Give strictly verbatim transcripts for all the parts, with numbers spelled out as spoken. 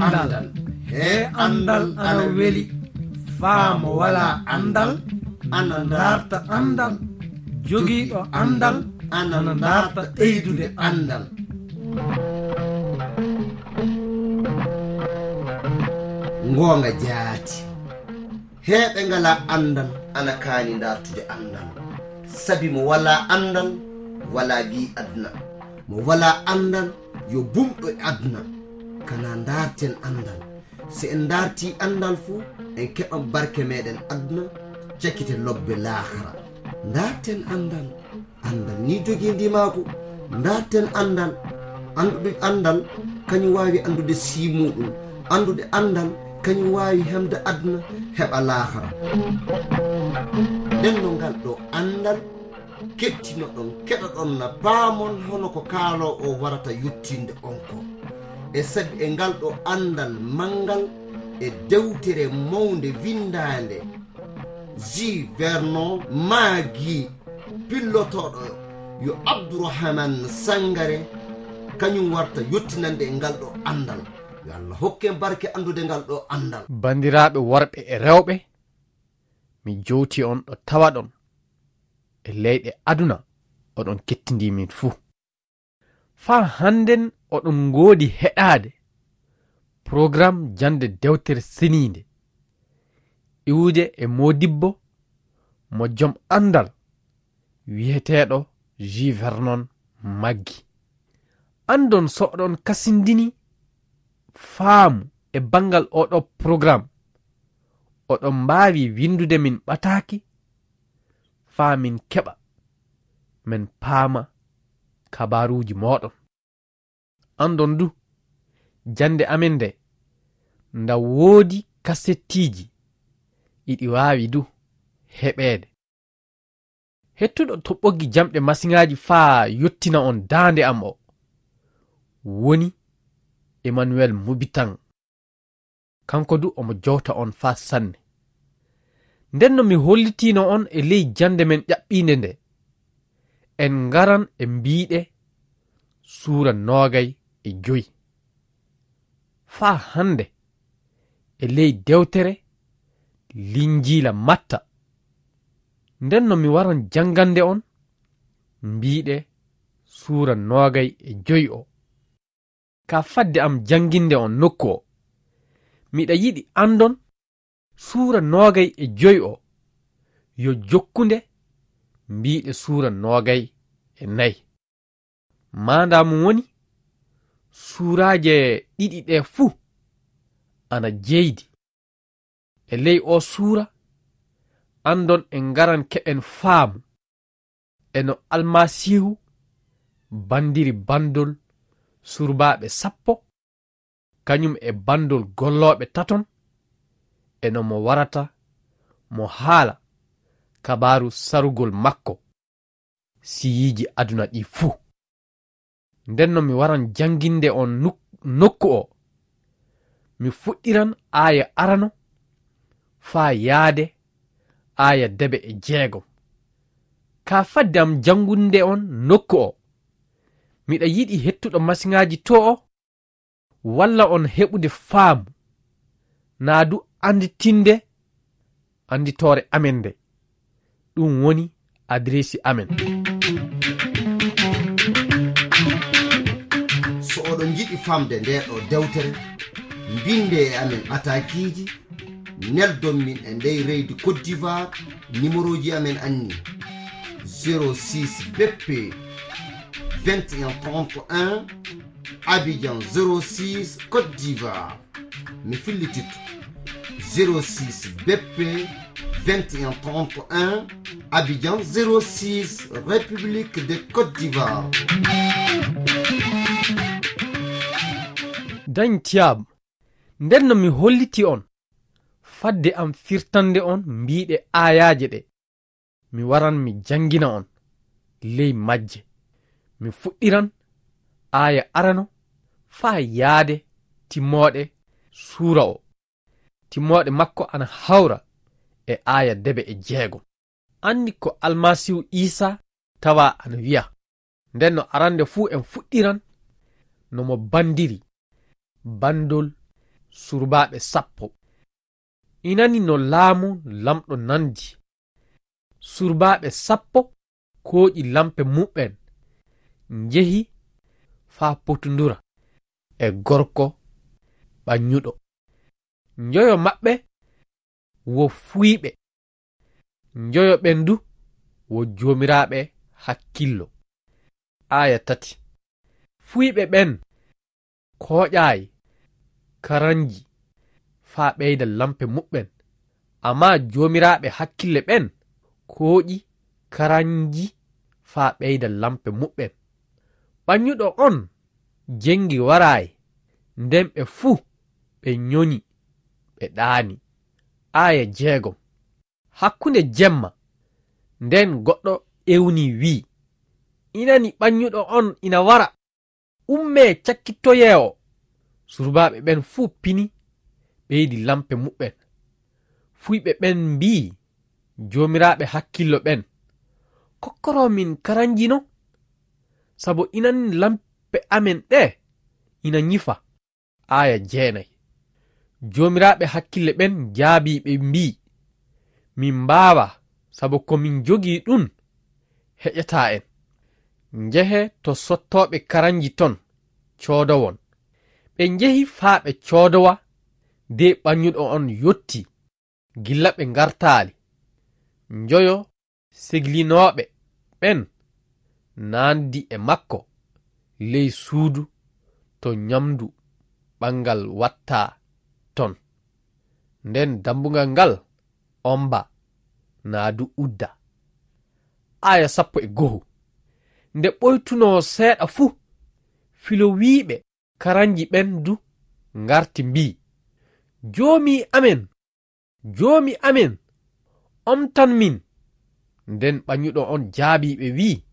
Anndal. He anndal ana weli. Faa mo walaa anndal, ana ndaarta anndal. Jogiiɗo anndal, ana ndaarta ɓeydude anndal. Ngoonga jaati. Heeɓe ngalaa anndal, ana kaani ndaartude anndal. Sabi mo walaa anndal, walaa wi aduna. Mo walaa anndal, yo bumɗo e aduna. Kana ndaarten anndal. Si en ndaartii anndal fu, en keɓan barke meɗen aduna, cakite lobbe laakara. Ndaarten anndal. Anndal ni jogii ndimaagu. Ndaarten anndal. Anndude anndal, kañum waawi anndude sii muɗum. Anndude anndal, kañum waawi hemde aduna, heɓa laakara. Nden no ngal ɗo anndal, kettinoɗon, keɗoɗon na paamon hono ko kaaloowo o warata yottinde on ko. E sabi e ngal ɗo anndal manngal e dewtere mawnde winndaande, J. Vernon Maggi, pillotooɗo yo Abdourahmane Sangare, kañum warta yottinande e ngal ɗo anndal. Yo Allah hokke en barke anndude ngal ɗo anndal. Banndiraaɓe worɓe e rewɓe, mi jowti on ɗo tawaɗon e leyɗe aduna, oɗon kettindii min fuu. Faa hannden oɗon ngoodi heɗaade porogaram jannde dewtere seniinde, iwude e moodibbo mo jom anndal wiyeteeɗo J. Vernon Maggi. Anndon so oɗon kasindini faamu e banngal oɗo porogaram, oɗon mbaawi winndude min ɓataaki faa min keɓa, min paama kabaaruuji mooɗon. Anndon du, jannde amen nde, nda woodi kasettiiji, iɗi waawi du heɓeede. Hettuɗo to ɓoggi jamɗe masiŋaaji faa yottina on daande am o, woni Emmanuel Mubitan. Kanko du omo jowta on faa sanne. Nden no mi hollitiino on e ley jannde men ƴaɓɓiinde nde, en ngaran e mbiiɗe suura noogay e joy. Faa hannde e ley dewtere Linjiila Matta. Nden no mi waran janngande on mbiiɗe suura noogay e joy o. Ka fadde am jannginde on nokku o, miɗa yiɗi anndon suura noogay e joy o yo jokkunde mbiiɗe suura noogay e nay. Maandaa mum woni, suuraaje ɗiɗi ɗe fuu ana jeydi. E ley oo suura, anndon en ngaran keɓen faamu e no Almasiihu banndiri banndol surbaaɓe sappo, kañum e banndol gollooɓe taton, e no mo warata mo haala kabaaru sarugol makko siyiiji aduna ɗi fuu. Nden no mi waran jannginde on nuk-, nokku o, mi fuɗɗiran aaya arano faa yaade aaya debe e jeegom. Ka fadde am jannginde on nokku o, miɗa yiɗi hettuɗo masiŋaaji to o, walla on heɓude faamu, naa du annditinde annditoore amen nde. Ɗum woni adireesi amen. So oɗon njiɗi famde nde ɗo dewtere, mbinde e amen atakiiji, neldon min e ndey leydi Côte d'Ivoire, numéroji amen anni: zéro six B P vingt et un trente et un, Abidjan zéro six, Côte d'Ivoire. Mi fillititto: zéro six B P vingt et un trente et un, Abidjan zéro six, République de Côte d'Ivoire. Dañ Thiam, nden no mi holliti on, fadde am firtande on mbiiɗe aayaaje ɗe, mi waran mi janngina on ley majje. Mi fuɗɗiran aaya arano faa yaade timmooɗe suura o. Timmooɗe makko ana hawra e aaya debe e jeegom. Anndi ko Almasiihu Iisaa tawa ana wiya. Nden no arande fuu en fuɗɗiran no mo banndiri banndol surbaaɓe sappo. Inani no laamu Laamɗo nandi. Surbaaɓe sappo kooƴi lampe muɓɓen, njehi faa potundura e gorko ɓaŋŋuɗo. Njoyo maɓɓe wo fuuyɓe, njoyo ɓen du wo joomiraaɓe hakkillo. Aaya tati. Fuuyɓe ɓen kooƴaay karanji faa ɓeyda lampe muɓɓen, ammaa joomiraaɓe hakkille ɓen kooƴi karanji faa ɓeyda lampe muɓɓen. Ɓaŋŋuɗo on jeŋgi waraay, nden ɓe fuu ɓe nyonyi, ɓe ɗaani. Aaya jeegom. Hakkunde jemma, nden goɗɗo ewnii, wi'i, "Inani, ɓaŋŋuɗo on ina wara! Ummee, cakkitoyee o!" Surbaaɓe ɓen fuu pini, ɓeydi lampe muɓɓen. Fuuyɓe ɓen mbi'i joomiraaɓe hakkillo ɓen, "Kokkoroo min karanji non, sabo inani lampe amen ɗe ina nyifa." Aaya jeenay. Joomiraaɓe hakkille ɓen jaabii ɓe mbi'i, "Min mbaawaa, sabo ko min njogii ɗun heƴataa en. Njehee to sottooɓe karanji ton, coodowon." Ɓe njehi faa ɓe coodowa, de ɓaŋŋuɗo on yottii gilla ɓe ngartaali. Njoyo segilinooɓe ɓen naandi e makko ley suudu to nyamndu ɓanngal wattaa ton. Nden dammbugal ngal ombaa, naa du uddaa. Aaya sappo e go'o. Nde ɓoytunoo seeɗa fu, filowiiɓe karanji ɓen du ngarti mbi'i, "Joomi amen, joomi amen, omtan min." Nden ɓaŋŋuɗo on jaabii ɓe wi'i,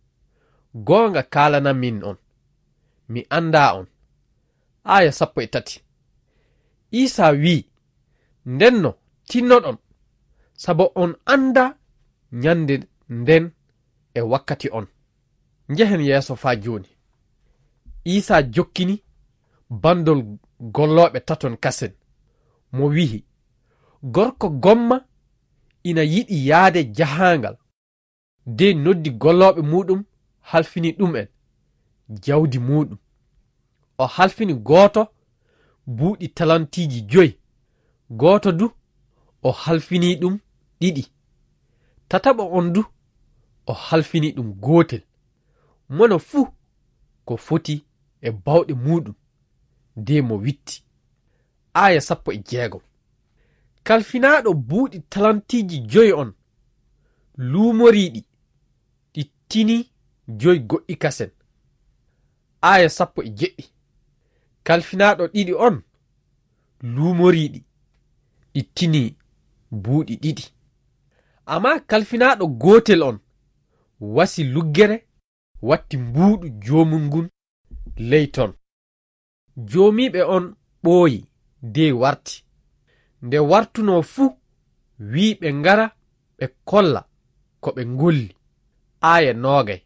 "Goonga kaalananmi on, mi anndaa on." Aaya sappo e tati. Iisaa wi'i, "Ndenno tinnoɗon, sabo on anndaa nyannde nden e wakkati on." Njehen yeeso faa jooni. Iisaa jokkini banndol gollooɓe taton kasen, mo wi'i, "Gorko gomma ina yiɗi yaade jahaangal, de noddi gollooɓe muuɗum halfini ɗum'en jawdi muuɗum. O halfini gooto buuɗi talantiiji joy, gooto du o halfini ɗum ɗiɗi, tataɓo on du o halfini ɗum gootel, mono fuu ko foti e baawɗe muuɗum, de mo witti." Aaya sappo e jeegom. Kalfinaaɗo buuɗi talantiiji joy on luumorii ɗi, ɗi tinii joy goɗɗi kasen. Aaya sappo e jeɗɗi. Kalfinaaɗo ɗiɗi on luumorii ɗi, ɗi tinii buuɗi ɗiɗi. Ammaa kalfinaaɗo gootel on wasi luggere, watti mbuuɗu joomum ngun ley ton. Joomiiɓe on ɓooyi, dey warti. Nde wartunoo fu, wi'i ɓe ngara ɓe kolla ko ɓe ngolli. Aaya noogay.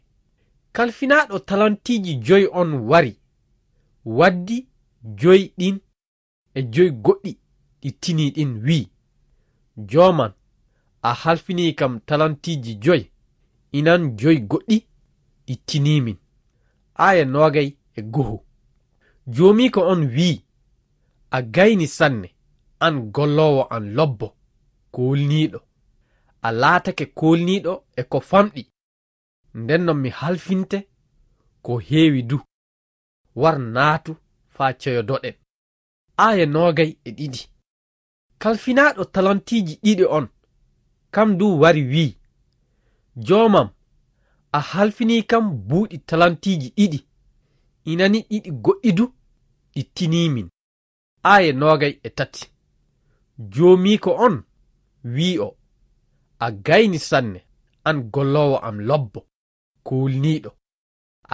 Kalfinaaɗo talantiiji joy on wari, waddi joy ɗin e joy goɗɗi ɗi tinii ɗin, wi'i, "Joomam, a halfinii kam talantiiji joy, inan joy goɗɗi ɗi tinii min." Aaya noogay e go'o. Joomiiko on wi'i, "A gayni sanne, an golloowo an lobbo, koolniiɗo. A laatake koolniiɗo e ko famɗi. Nden non mi halfinte ko heewi du. War naatu faa ceyodoɗen." Aaya noogay e ɗiɗi. Kalfinaaɗo talantiiji ɗiɗi on, kam du wari wi'i, "Joomam, a halfinii kam buuɗi talantiiji ɗiɗi, inani ɗiɗi goɗɗi du ɗi tinii min." Aaya noogay e tati. Joomiiko on wi'i o, "A gayni sanne, an golloowo am lobbo, koolniiɗo.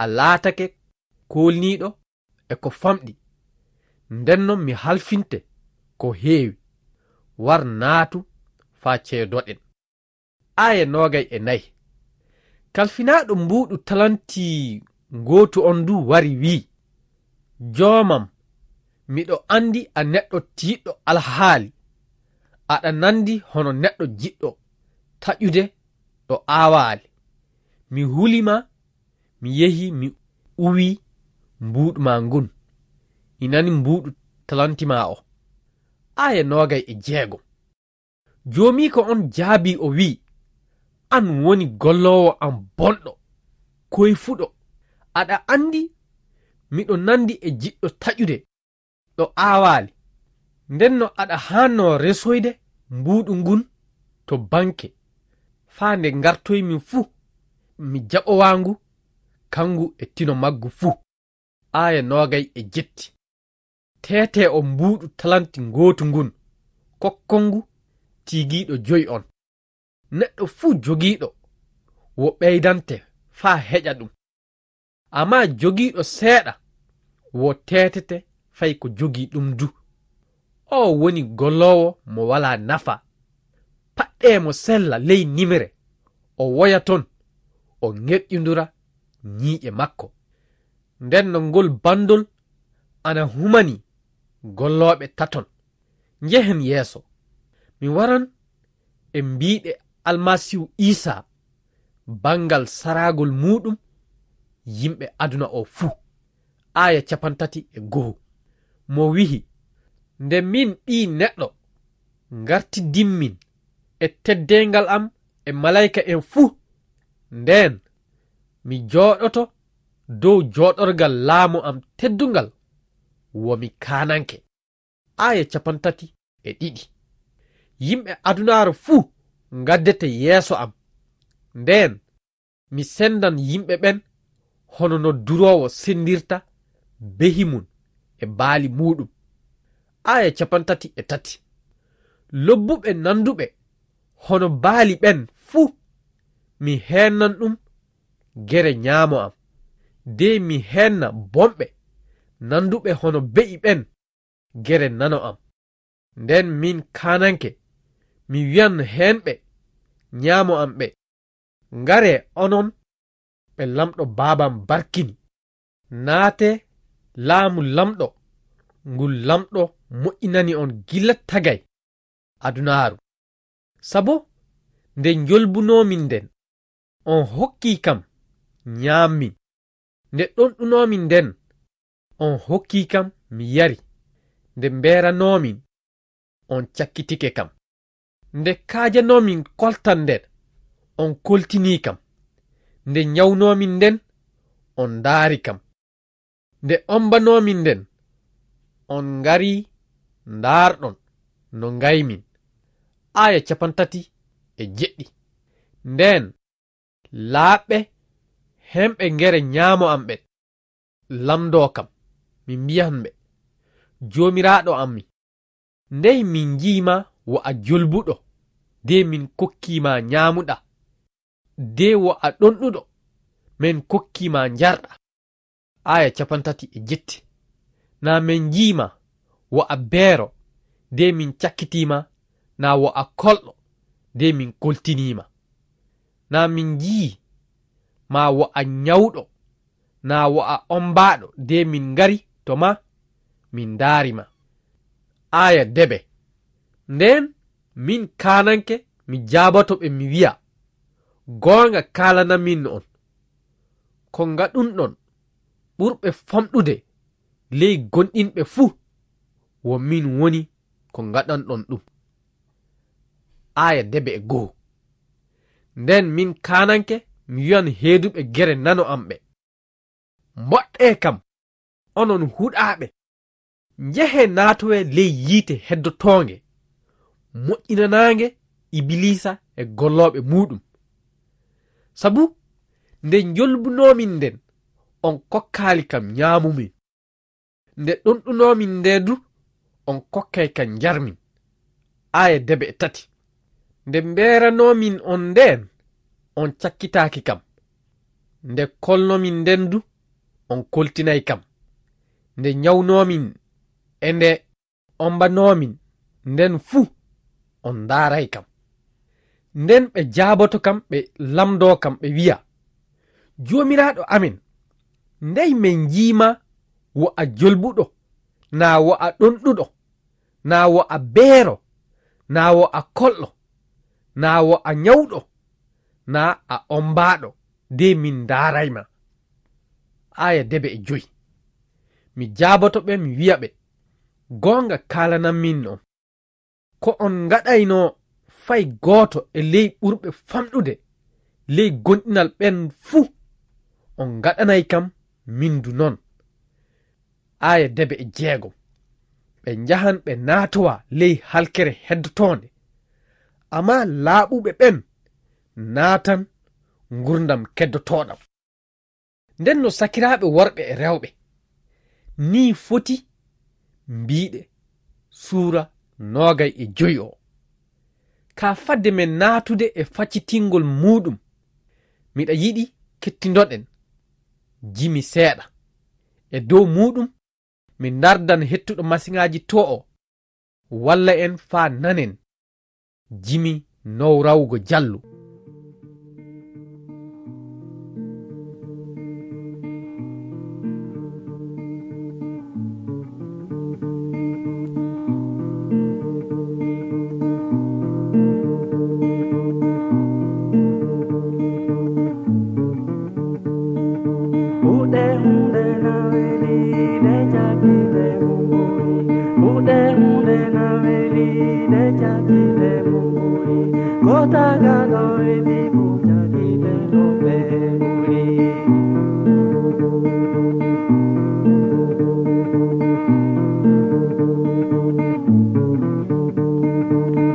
A laatake koolniiɗo e ko famɗi. Nden non mi halfinte ko heewi. War naatu faa ceedoɗen." Aaya noogay e nayi. Kalfinaaɗo mbuuɗu talanti ngootu on du wari wi'i, "Joomam, Miɗo anndi a neɗɗo tiiɗɗo alhaali. Aɗa nanndi hono neɗɗo jiɗɗo taƴude ɗo aawaali. Mi huli ma, mi yehi, mi uwi mbuuɗu ma ngun. Inani mbuuɗu talanti ma o. Aaya noogay e jeego. Joomiiko on jaabii o wi'i, "An woni golloowo am bonɗo, koyfuɗo. Aɗa anndi miɗo nanndi e jiɗɗo taƴude ɗo aawaali. Nden no aɗa haannoo resoyde mbuuɗu ngun to banke, faa nde ngartoymi fuu, mi jaɓowaangu, kangu e tino maggu fuu." Aaya noogay e jetti. Teetee o mbuuɗu talanti ngootu ngun, kokkongu tiigiiɗo joyi on. Neɗɗo fuu jogiiɗo wo ɓeydante faa heƴa ɗum. Ammaa jogiiɗo seeɗa wo teetete fay ko jogii ɗum du. Oo woni golloowo mo walaa nafa. Paɗɗee mo sella ley nimre, o woya ton, o ŋerƴundura ñiiƴe makko. Nden no ngol banndol ana humani gollooɓe taton. Njehen yeeso. Mi waran e mbiiɗe Almasiihu Iisaa banngal saraagol muuɗum yimɓe aduna oo fuu. Aaya capantati e go'o. Mo wi'i, "Nde min Ɓii Neɗɗo ngartidimmin e teddeengal am e malayka en fuu, ndeen mi jooɗoto dow jooɗorgal laamu am teddungal, wo mi kaananke." Aaya capantati e ɗiɗi. Yimɓe adunaaru fuu ngaddete yeeso am. Ndeen mi senndan yimɓe ɓen hono no duroowo senndirta behi mun e baali muuɗum. Aaya capantati e tati. Lobbuɓe nannduɓe hono baali ɓen fuu, mi heennan ɗum gere ñaamo am. De mi heenna bonɓe nannduɓe hono be'i ɓen gere nano am. Nden min kaananke, mi wi'an heenɓe ñaamo am ɓe, "Ngaree onon ɓe Laamɗo Baaba am barkini. Naatee laamu Laamɗo ngu Laamɗo moƴƴinani on gila tagay adunaaru. Sabo nde njolbunoomin nden, on hokkii kam ñaammin. Nde ɗonɗunoomin nden, on hokkii kam mi yari. Nde mbeeranoomin, on cakkitike kam. Nde kaajanoomin koltal nden, on koltinii kam. Nde ñawnoomin nden, on ndaari kam. Nde ombanoomin nden, on ngarii ndaarɗon no ngaymin." Aaya capantati e jeɗɗi. Nden laaɓɓe hemɓe gere ñaamo am ɓen lamndoo kam, mi mbi'an ɓe, "Joomiraaɗo am mi, ndey min nji'i ma wo a jolbuɗo, de min kokkii ma ñaamuɗaa, de wo a ɗonɗuɗo, min kokkii ma njarɗaa?" Aaya capantati e jetti. Naa min nji'i ma wo a beero, de min cakkitii ma, naa wo a kolɗo, de min koltinii ma? Naa min nji'i ma wo a ñawɗo, naa wo a ombaaɗo, de min ngari to ma, min ndaari ma? Aaya debe. Nden min kaananke, mi jaaboto ɓe, mi wi'a, "Goonga kaalanamin on, ko ngaɗunɗon ɓurɓe famɗude ley gonɗinɓe fuu, wo min woni ko ngaɗanɗon ɗum." Aaya debe e go'o. Nden min kaananke, mi wi'an heeduɓe gere nano am ɓe, "Mboɗɗee kam, onon huɗaaɓe, njehee naatowee ley yiite heddotoonge, moƴƴinanaange Ibiliisa e gollooɓe muuɗum. Sabu nde njolbunoomin nden, on kokkaali kam ñaamumin. Nde ɗonɗunoomin nde du, on kokkay kam njarmin." Aaya debe e tati. Nde mbeeranoomin on ndeen, on cakkitaaki kam. Nde kolnoomin nden du, on koltinay kam. Nde ñawnoomin e nde ombanoomin nden fuu, on ndaaray kam. Nden ɓe jaaboto kam, ɓe lamndoo kam, ɓe wi'a, "Joomiraaɗo amin, ndey min nji'i ma wo a jolbuɗo, Naa wo a ɗonɗuɗo, naa wo a beero, naa wo a kolɗo, naa wo a nyawɗo, naa a ombaaɗo, de min ndaaraay ma. Aaya debe e joy. Mi jaaboto ɓe, mi wi'a ɓe, goonga kaalananmi on. Ko on ngaɗayno fay gooto e ley ɓurɓe famɗude ley gonɗinal ɓen fuu, on ngaɗanay kam min du non. Aaya debe e jeegom. Ɓe njahan ɓe naatowa ley halkere heddotoonde, ammaa laaɓuɓe ɓen naatan ngurndan keddotooɗan. Nden no sakiraaɓe worɓe e rewɓe, nii foti mbiiɗe suura noogay e joy o. Ka fadde men naatude e faccitingol muuɗum, miɗa yiɗi kettindoɗen jimi seeɗa. E dow muuɗum, mi ndardan hettuɗo masiŋaaji to o, walla en faa nanen jimi nowrawgo jallu. Huɗe hunde na weli de jagite mumburi. Huɗe hunde na weli de jagite mumburi. Ko tagaɗo e bibu jagite no ɓe ɓuri.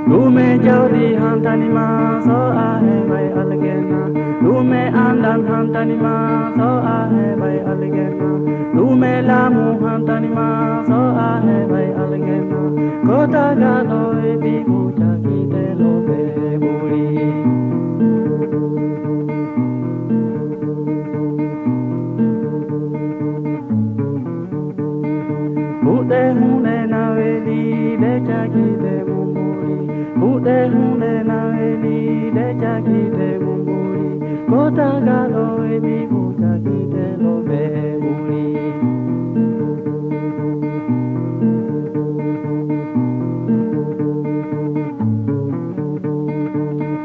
Ɗume jawdi hantani ma so a heɓay aljanna? Ɗume andal hantani ma so a heɓay aljanna? Ɗume laamu hantani ma so a heɓay aljanna? Ko tagaɗo e bibu jagite no ɓe ɓuri. Huɗe hunde na weli de jagite mumburi. Huɗe hunde na weli de jagite mumburi. Ko tagaɗo e bibu jagite no ɓe ɓuri.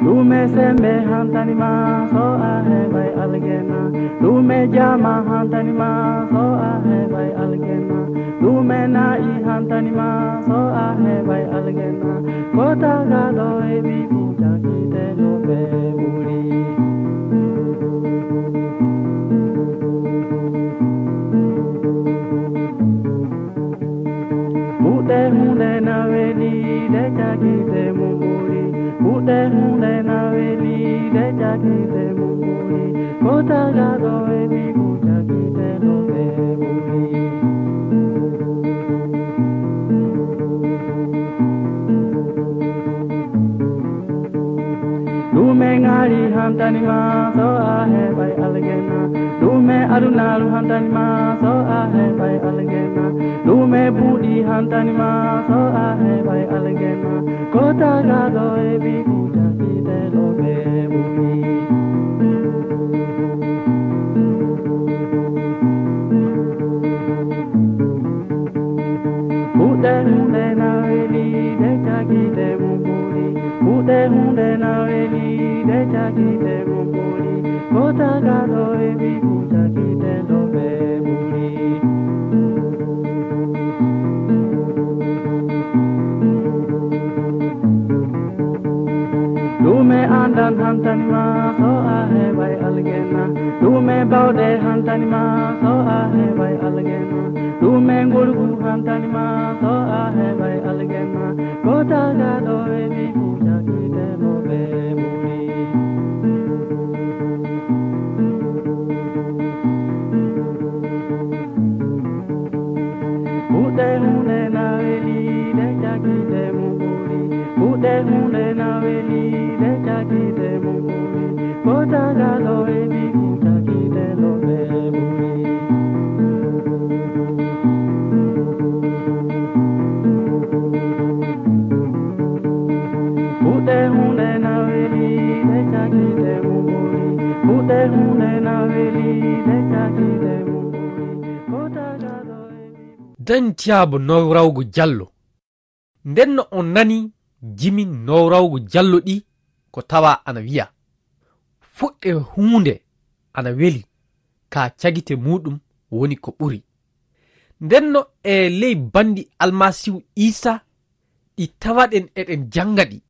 Ɗume sembe hantani ma so a heɓay aljanna? Ɗume jama hantani ma so a heɓay aljanna? Ɗume na'i hantani ma so a heɓay aljanna? Ko tagaɗo e bibu jagite no ɓe ɓuri. Huɗe hunde na weli de jagite mumburi. Huɗe hunde na weli de jagite mumburi. Ko tagaɗo e bibu jagite no ɓe ɓuri. Ɗume ŋari hantani ma so a heɓay aljanna? Ɗume adunaru hantani ma so a heɓay aljanna? Ɗume buuɗi hantani ma so a heɓay aljanna? Ko tagaɗo e bibu jagite no ɓe ɓuri. Huɗe hunde na weli de jagite mumburi. Huɗe hunde na weli de jagite mumburi. Ko tagaɗo e bibu jagite no ɓe ɓuri. Ɗume andal hantani ma so a heɓay aljanna? Ɗume bawɗe hantani ma so a heɓay aljanna? Ɗume ngorgu hantani ma so a heɓay aljanna? Ko tagaɗo e bibu jagite no ɓe ɓuri. Huɗe hunde na weli de jagite mumburi. Huɗe hunde na weli de jagite mumburi. Ko tagaɗo e bibu jagite no ɓe ɓuri. Dañtiyaabo nowrawgo jallo. Ndenno on nani jimi nowrawgo jallo ɗi ko tawa ana wiya, fuɗɗe huunde ana weli, ka cagite muɗum woni ko ɓuri. Ndenno e ley bandi Almasiihu Iisa ɗi tawaɗen eɗen jannga ɗi.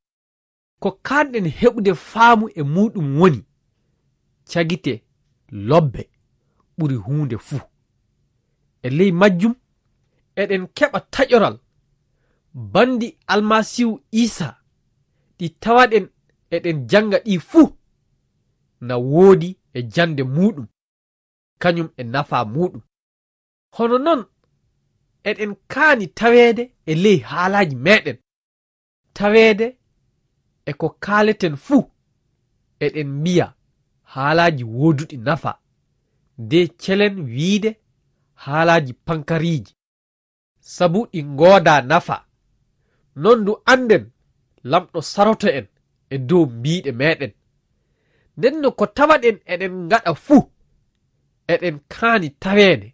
Ko kaanɗen heɓude faamu e muɗum woni cagite lobbe ɓuri huunde fuu. E ley majjum, eɗen keɓa taƴoral bandi Almasiihu Iisa ɗi tawaɗen eɗen jannga ɗi fuu na woodi e jannde muɗum, kañum e nafa muɗum. Hono non, eɗen kaani taweede e ley haalaaji meɗen, taweede e ko kaaleten fuu, eɗen mbiya haalaaji wooduɗi nafa, de celen wiide haalaaji pankariiji, sabu ɗi ngooda nafa. Non du annden Lamɗo saroto en e dow mbiiɗe meɗen. Ndenno ko tawaɗen eɗen ngaɗa fuu, eɗen kaani taweede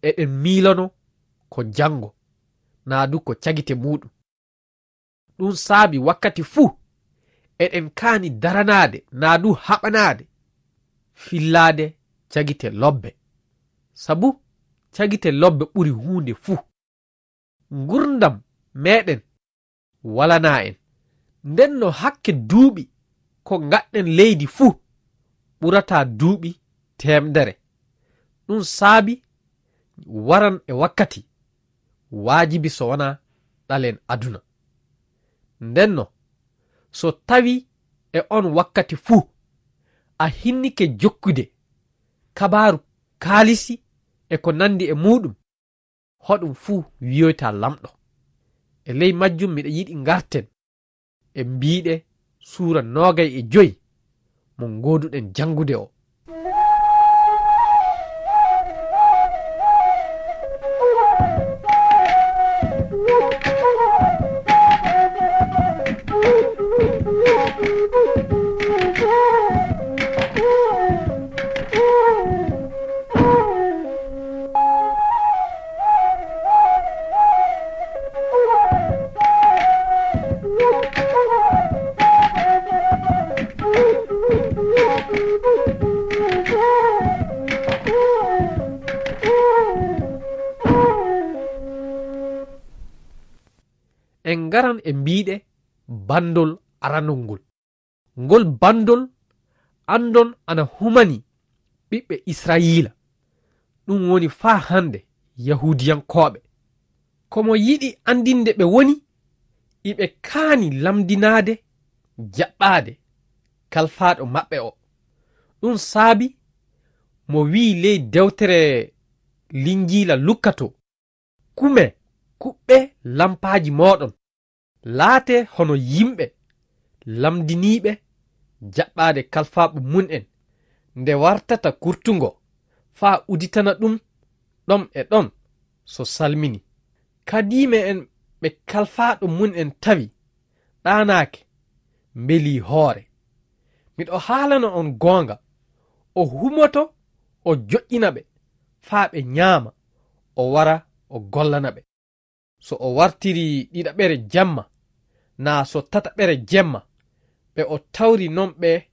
eɗen miilono ko janngo, naa du ko cagite muɗum. Ɗum saabi wakkati fuu eɗen kaani daranaade naa du haɓanaade fillaade cagite lobbe. Sabu cagite lobbe ɓuri huunde fuu. Ngurndam meɗen walanaa en. Ndenno hakke duuɓi ko ngaɗɗen leydi fuu ɓurata duuɓi teemdere. Ɗum saabi waran e wakkati waajibi so wonaa ɗalen aduna. Ndenno, so tawi e on wakkati fuu a hinnike jokkude kabaaru kaalisi e ko nandi e muɗum, hoɗum fuu wiyoyta Lamɗo. E ley majjum miɗa yiɗi ngarten e mbiiɗe suura noogay e joy mo ngooduɗen janngude o. En ngaran e mbiiɗe banndol aranol ngol. Ngol banndol anndon ana humani ɓiɓɓe Israyiila, ɗum woni faa hannde Yahuudiyankooɓe. Ko mo yiɗi anndinde ɓe woni, iɓe kaani lamndinaade jaɓɓaade kalfaaɗo maɓɓe o. Ɗum saabi mo wi'i ley dewtere Linjiila Lukka to, kume, kuɓɓe lampaaji mooɗon, laatee hono yimɓe lamndiniiɓe jaɓɓaade kalfaaɓe mum en, nde wartata kurtungo, faa uditana ɗum ɗon e ɗon so salmini. Kadiime en ɓe kalfaaɗo mum en tawi ɗaanaaki, mbelii hoore. Miɗo haalana on goonga, o humoto o joƴƴina ɓe faa ɓe ñaama, o wara o gollana ɓe. So o wartiri ɗiɗaɓere jemma, naa so tataɓere jemma, ɓe o tawri non ɓe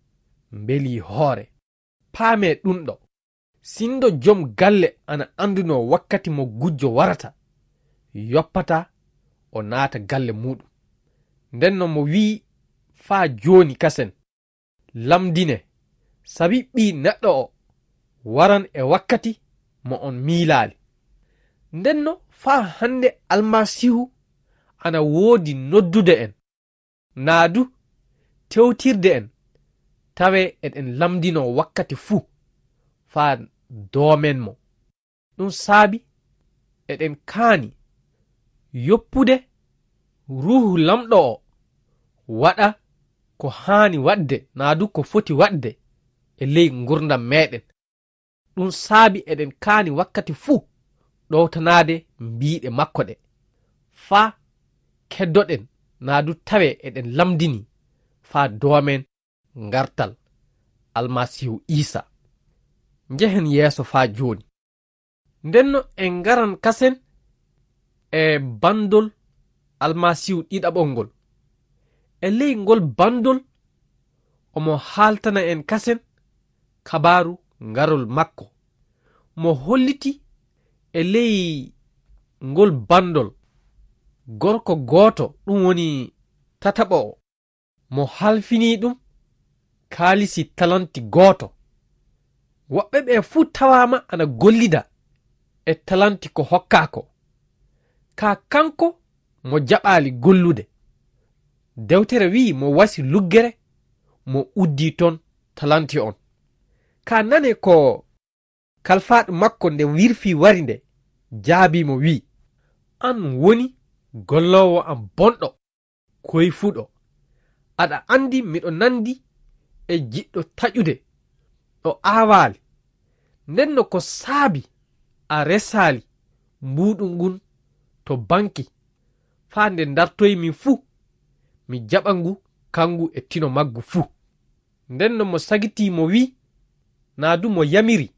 mbelii hoore. Paamee ɗum ɗo. Sinndo jom galle ana anndunoo wakkati mo gujjo warata, yoppata o naata galle muuɗum. Ndenno mo wi'i faa jooni kasen, lamndine, sabi ɓii neɗɗo o waran e wakkati mo on miilaali. Ndenno faa hannde Almasiihu ana woodi noddude en, naa du tewtirde en, tawe eɗen lamndinoo wakkati fuu faa doomen mo. Ɗum saabi eɗen kaani yoppude Ruuhu Lamɗo o waɗa ko haani waɗde naa du ko foti waɗde e ley ngurdam meɗen. Ɗum saabi eɗen kaani wakkati fuu ɗowtanaade mbiiɗe makko ɗe, faa keddoɗen naa du tawe eɗen lamndini faa doomen ngartal Almasiihu Iisa. Njehen yeeso faa jooni. Ndenno en ngaran kasen e banndol Almasiihu ɗiɗaɓol ngol. E ley ngol banndol, omo haaltana en kasen kabaaru ngarol makko. Mo holliti e ley ngol banndol gorko gooto, ɗum woni tataɓo o, mo halfinii ɗum kaalisi talanti gooto. Woɓɓe ɓe fuu tawaama ana gollida e talanti ko hokkaa ko. Kaa kanko mo jaɓaali gollude. Dewtere wi'i mo wasi luggere, mo uddii ton talanti on. Kaa nane ko kalfaaɗo makko nde wirfii wari nde, jaabii mo wi'i, "An woni golloowo am bonɗo, koyfuɗo. Aɗa anndi miɗo nanndi e jiɗɗo taƴude, ɗo aawaali. Nden no ko saabi a resaali mbuuɗu ngun to banki, faa nde ndartoymi fuu, mi jaɓa ngu kangu e tino maggu fuu." Nden no mo sagitii mo wi'i, naa du mo yamiri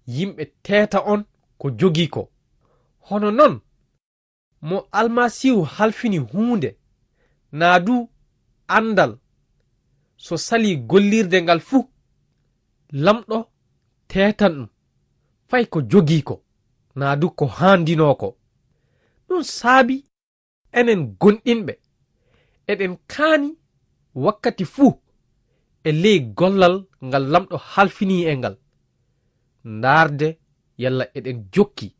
yimɓe teeta on ko jogii ko. Hono non, mo Almasiihu halfini huunde, naa du anndal, so salii gollirde ngal fuu, Lamɗo teetan ɗum fay ko jogii ko, naa du ko haandinoo ko. Ɗum saabi enen gonɗinɓe, eɗen kaani wakkati fuu e ley gollal ngal Lamɗo halfinii en ngal, ndaarde yalla eɗen jokki,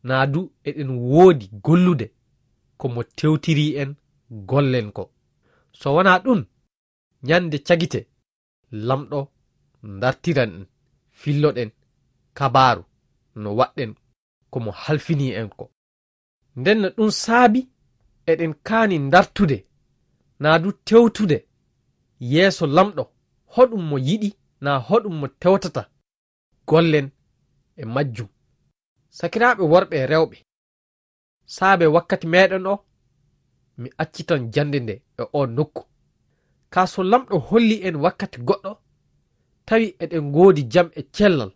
naa du eɗen woodi gollude ko mo tewtirii en gollen ko. So wanaa ɗum, ñande cagite, Lamɗo ndartiran en, filloɗen kabaaru no waɗɗen ko mo halfinii en ko. Nden no ɗum saabi eɗen kaani ndartude, naa du tewtude yeeso Lamɗo, hoɗum mo yiɗi, naa hoɗum mo tewtata gollen e majjum. Sakiraaɓe worɓe e rewɓe, saabe wakkati meeɗen o, mi accitan jannde nde e oo nokku. Kaa so Lamɗo holli en wakkati goɗɗo, tawi eɗen ngoodi jam e cellal,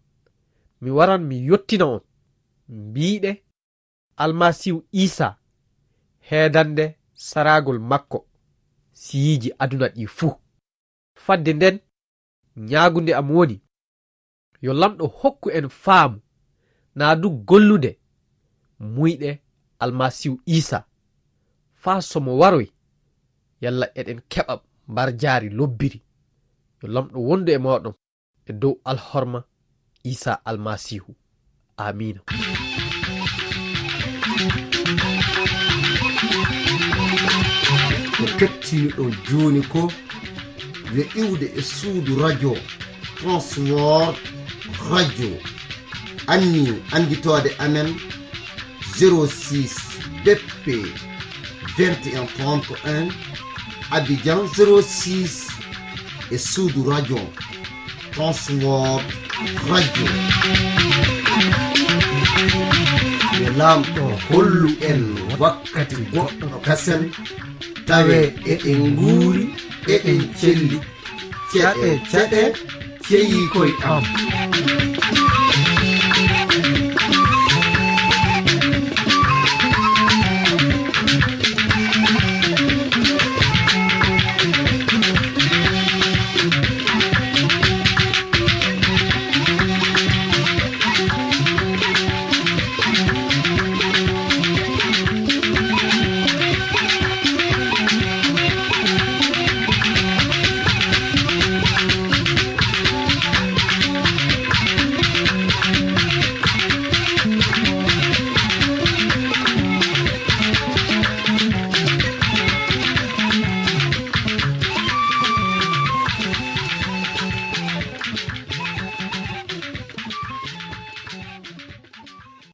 mi waran mi yottina on, mbiiɗe Almasiihu Iisaa, heedande saraagol makko siyiiji aduna ɗii fuu. Fadde nden, ñaagunde am woni, yo Lamɗo hokku en faamu, naa du gollude muyɗe Almasiihu Iisaa, faa so mo waroy, yalla eɗen keɓa mbarjaari lobbiri. Yo Lamɗo wondu e mooɗon e dow alhorma Iisaa Almasiihu. Aamiina. Ko kettiniɗon jooni ko yo iwde e suudu radio Transworld Radio. Anni annditoode amen zéro six B P vingt et un trente et un, Abidjan zéro six e suudu radio Transworld Radio. Yo Laamɗo hollu en wakkati goɗɗo kasen, tawe eɗen nguuri, eɗen celli. Ceɗe, ceɗe, ceyii koy am.